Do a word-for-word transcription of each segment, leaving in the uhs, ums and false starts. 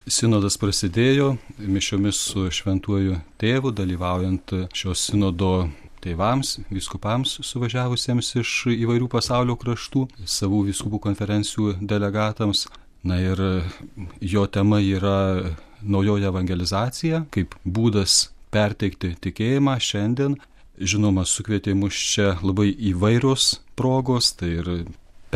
Sinodas prasidėjo mišiomis su šventuoju tėvu, dalyvaujant šios sinodo tėvams, vyskupams suvažiavusiems iš įvairių pasaulio kraštų, savų vyskupų konferencijų delegatams. Na ir jo tema yra naujoji evangelizacija, kaip būdas perteikti tikėjimą šiandien. Žinoma, sukvietė mus čia labai įvairios progos, tai ir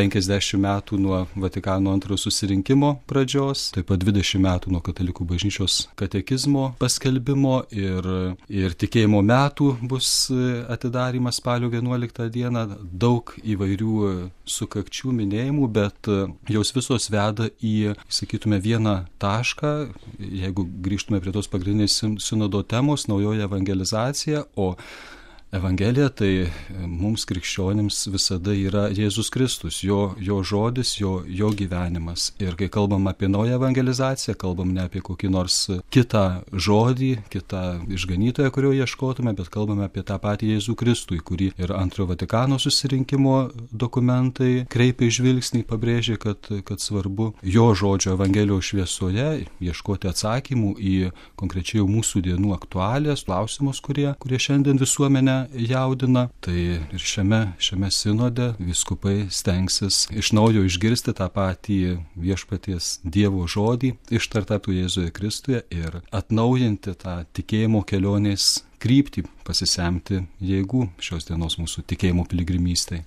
penkiasdešimt metų nuo Vatikano antrojo susirinkimo pradžios, taip pat dvidešimt metų nuo Katalikų bažnyčios katekizmo paskelbimo ir, ir tikėjimo metų bus atidarymas spalio vienuoliktą dieną. Daug įvairių sukakčių minėjimų, bet jos visos veda į, sakytume, vieną tašką, jeigu grįžtume prie tos pagrindinės sinodo temos, naujoji evangelizacija, o Evangelija tai mums krikščionims visada yra Jėzus Kristus, jo, jo žodis, jo, jo gyvenimas. Ir kai kalbam apie naują evangelizaciją, kalbam ne apie kokį nors kitą žodį, kitą išganytoją, kurio ieškotume, bet kalbame apie tą patį Jėzų Kristų, į kurį ir antrojo Vatikano susirinkimo dokumentai kreipia žvilgsnį, pabrėžia, kad, kad svarbu jo žodžio Evangelijos šviesoje ieškoti atsakymų į konkrečiai mūsų dienų aktualijas, klausimus, kurie, kurie šiandien visuomenę jaudina. Tai ir šiame, šiame sinode vyskupai stengsis iš naujo išgirsti tą patį viešpaties Dievo žodį ištartą Jėzuje Kristuje ir atnaujinti tą tikėjimo kelionės kryptį, pasisemti jėgų šios dienos mūsų tikėjimo piligrimystei.